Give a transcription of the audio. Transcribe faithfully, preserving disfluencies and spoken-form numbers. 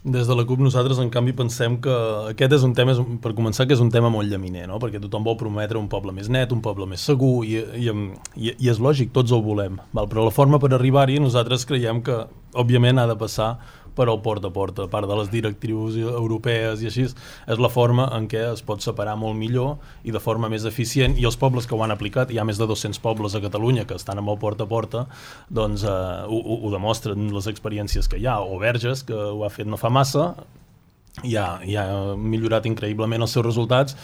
Des de la CUP nosaltres, en canvi, pensem que aquest és un tema, per començar, que és un tema molt llaminer, no? Perquè tothom vol prometre un poble més net, un poble més segur, i, i, i, i és lògic, tots ho volem. Val? Però la forma per arribar-hi, nosaltres creiem que, òbviament, ha de passar per al porta a porta, a part de les directrius europees i així, és la forma en què es pot separar molt millor i de forma més eficient, i els pobles que ho han aplicat, hi ha més de dos-cents pobles a Catalunya que estan amb el porta a porta, doncs eh, ho, ho demostren les experiències que hi ha, o Verges, que ho ha fet no fa massa, i ha, i ha millorat increïblement els seus resultats,